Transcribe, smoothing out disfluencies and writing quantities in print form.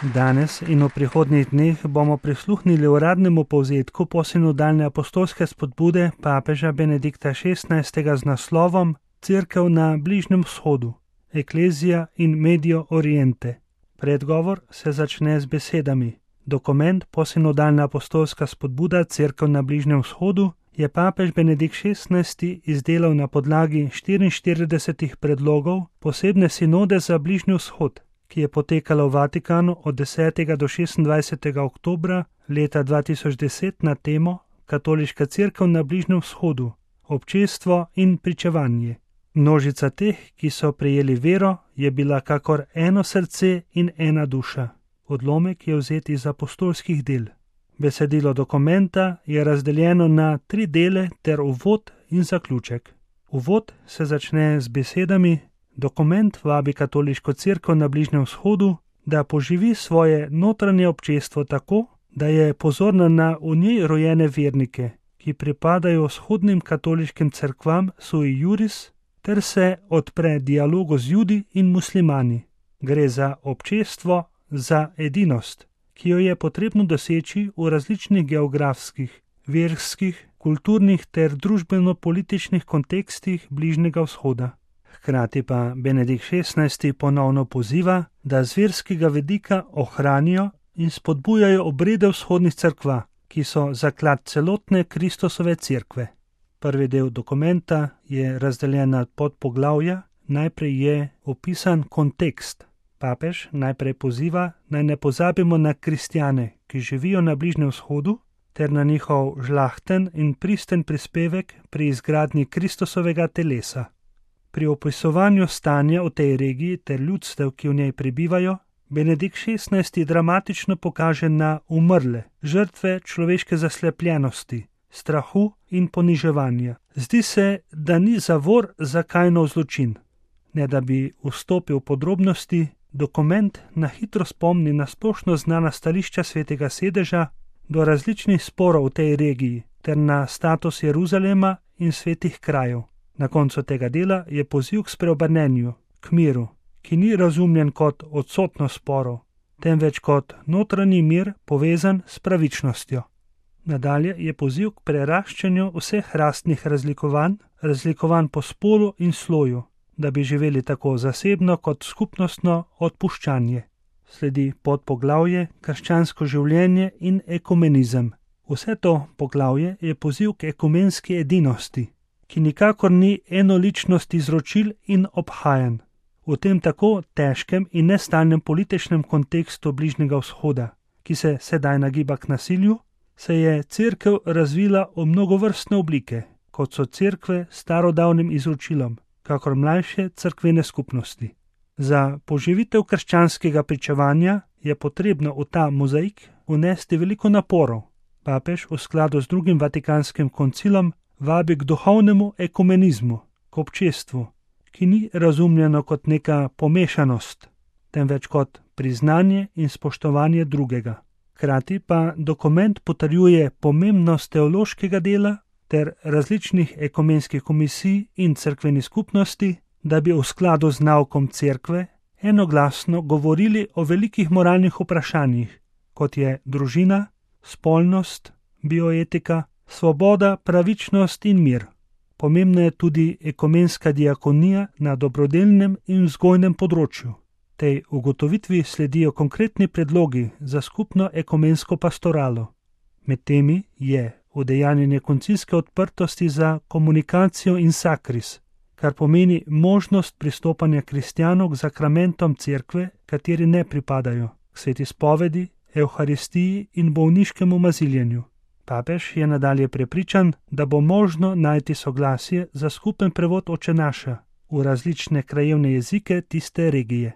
Danes in v prihodnjih dneh bomo prisluhnili uradnemu povzetku posinodalne apostolske spodbude papeža Benedikta XVI. Z naslovom Cerkev na Bližnjem vzhodu, Ecclesia in Medio Oriente. Predgovor se začne z besedami: Dokument posinodalna apostolska spodbuda Cerkev na Bližnjem vzhodu je papež Benedikt XVI. Izdelal na podlagi 44 predlogov posebne sinode za Bližnji vzhod, ki je potekala v Vatikanu od 10. do 26. oktobra leta 2010 na temo Katoliška cerkev na Bližnjem vzhodu, občestvo in pričevanje. Množica teh, ki so prejeli vero, je bila kakor eno srce in ena duša. Odlomek je vzet iz apostolskih del. Besedilo dokumenta je razdeljeno na 3 dele ter uvod in zaključek. Uvod se začne z besedami: Dokument vabi katoliško cerkev na Bližnjem vzhodu, da poživi svoje notranje občestvo tako, da je pozorna na v njej rojene vernike, ki pripadajo vzhodnim katoliškim cerkvam sui juris, ter se odpre dialogu z Judi in muslimani. Gre za občestvo, za edinost, ki jo je potrebno doseči v različnih geografskih, verskih, kulturnih ter družbeno-političnih kontekstih Bližnjega vzhoda. Hkrati pa Benedikt XVI. Ponovno poziva, da z verskega vidika ohranijo in spodbujajo obrede vzhodnih cerkva, ki so zaklad celotne Kristusove cerkve. Prvi del dokumenta je razdeljen na podpoglavja. Najprej je opisan kontekst. Papež najprej poziva, naj ne pozabimo na kristjane, ki živijo na Bližnjem vzhodu, ter na njihov žlahten in pristen prispevek pri izgradnji Kristusovega telesa. Pri opisovanju stanja v tej regiji ter ljudstev, ki v njej prebivajo, Benedikt XVI. Dramatično pokaže na umrle, žrtve človeške zaslepljenosti, strahu in poniževanja. Zdi se, da ni zavor za Kainov zločin. Ne da bi vstopil v podrobnosti, dokument na hitro spomni na splošno znana stališča Svetega sedeža do različnih sporov v tej regiji ter na status Jeruzalema in svetih krajev. Na koncu tega dela je poziv k spreobrnenju, k miru, ki ni razumljen kot odsotnost sporov, temveč kot notranji mir povezan s pravičnostjo. Nadalje je poziv k preraščanju vseh rastnih razlikovanj po spolu in sloju, da bi živeli tako zasebno kot skupnostno odpuščanje. Sledi podpoglavje Krščansko življenje in ekumenizem. Vse to poglavje je poziv k ekumenski edinosti, ki nikakor ni enoličnost izročil in obhajanj. V tem tako težkem in nestalnem političnem kontekstu Bližnjega vzhoda, ki se sedaj nagiba k nasilju, se je cerkev razvila v mnogovrstne oblike, kot so cerkve s starodavnim izročilom, kakor mlajše cerkvene skupnosti. Za poživitev krščanskega pričevanja je potrebno v ta mozaik vnesti veliko naporov. Papež v skladu z drugim Vatikanskim koncilom vabi k duhovnemu ekumenizmu, k občestvu, ki ni razumljeno kot neka pomešanost, temveč kot priznanje in spoštovanje drugega. Hkrati pa dokument potrjuje pomembnost teološkega dela ter različnih ekumenskih komisij in cerkvenih skupnosti, da bi v skladu z naukom cerkve enoglasno govorili o velikih moralnih vprašanjih, kot je družina, spolnost, bioetika, svoboda, pravičnost in mir. Pomembna je tudi ekumenska diakonija na dobrodelnem in vzgojnem področju. Tej ugotovitvi sledijo konkretni predlogi za skupno ekumensko pastoralo. Med temi je udejanjenje koncilske odprtosti za komunikacijo in sakris, kar pomeni možnost pristopanja kristjanov k zakramentom cerkve, kateri ne pripadajo, k sveti spovedi, evharistiji in bolniškemu maziljenju. Papež je nadalje prepričan, da bo možno najti soglasje za skupen prevod Oče naša v različne krajevne jezike tiste regije.